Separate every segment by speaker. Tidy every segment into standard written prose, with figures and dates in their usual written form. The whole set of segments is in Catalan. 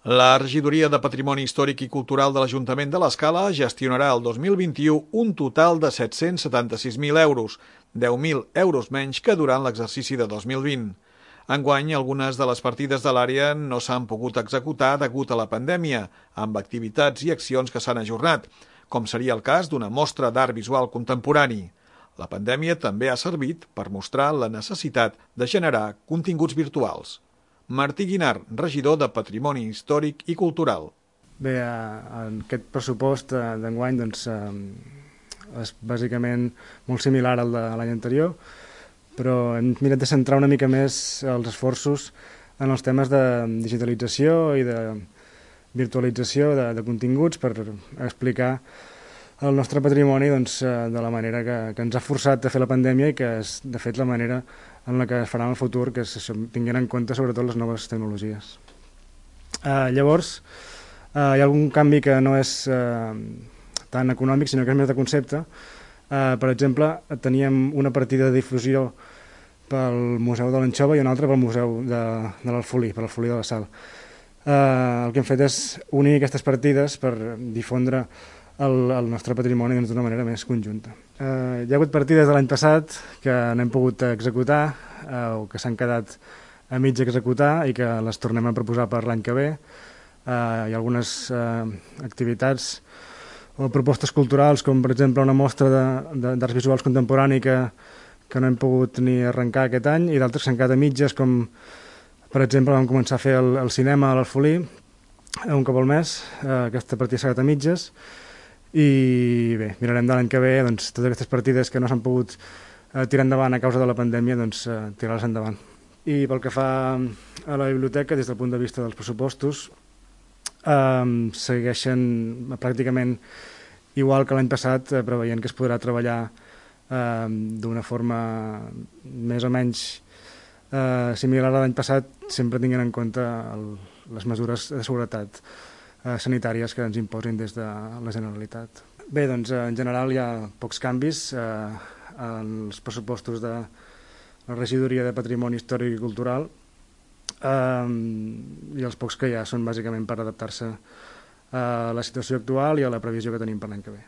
Speaker 1: La Regidoria de Patrimoni Històric i Cultural de l'Ajuntament de l'Escala gestionarà el 2021 un total de 776.000 euros, 10.000 euros menys que durant l'exercici de 2020. Enguany, algunes de les partides de l'àrea no s'han pogut executar degut a la pandèmia, amb activitats i accions que s'han ajornat, com seria el cas d'una mostra d'art visual contemporani. La pandèmia també ha servit per mostrar la necessitat de generar continguts virtuals. Martí Guinart, regidor de Patrimoni Històric i Cultural.
Speaker 2: Bé, en aquest pressupost d'enguany és bàsicament molt similar al de l'any anterior, però hem mirat de centrar una mica més els esforços en els temes de digitalització i de virtualització de continguts per explicar el nostre patrimoni de la manera que ens ha forçat a fer la pandèmia i que és, de fet, la manera en la que es farà en el futur, que és això, tinguent en compte sobretot les noves tecnologies. Llavors, hi ha algun canvi que no és tan econòmic, sinó que és més de concepte. Per exemple, teníem una partida de difusió pel Museu de l'Anxova i una altra pel Museu de l'Alfolí, per l'Alfolí de la Sal. El que hem fet és unir aquestes partides per difondre el nostre patrimoni d'una manera més conjunta. Hi ha hagut partides de l'any passat que no hem pogut executar o que s'han quedat a mig executar i que les tornem a proposar per l'any que ve. Hi ha algunes activitats o propostes culturals, com per exemple una mostra d'arts visuals contemporani que no hem pogut ni arrencar aquest any, i d'altres que s'han quedat a mitges, com per exemple vam començar a fer el cinema a l'Alfolí un cop al mes. Aquesta partida s'ha quedat a mitges. I bé, mirarem de l'any que ve totes aquestes partides que no s'han pogut tirar endavant a causa de la pandèmia, tirar-les endavant. I pel que fa a la biblioteca, des del punt de vista dels pressupostos, segueixen pràcticament igual que l'any passat, preveient que es podrà treballar d'una forma més o menys similar a l'any passat, sempre tinguent en compte les mesures de seguretat sanitàries que ens imposin des de la Generalitat. Bé, en general hi ha pocs canvis en els pressupostos de la Regidoria de Patrimoni Històric i Cultural, i els pocs que hi ha són bàsicament per adaptar-se a la situació actual i a la previsió que tenim per l'any que ve.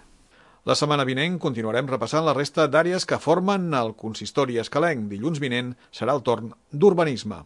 Speaker 1: La setmana vinent continuarem repassant la resta d'àrees que formen el consistori escalenc. Dilluns vinent serà el torn d'urbanisme.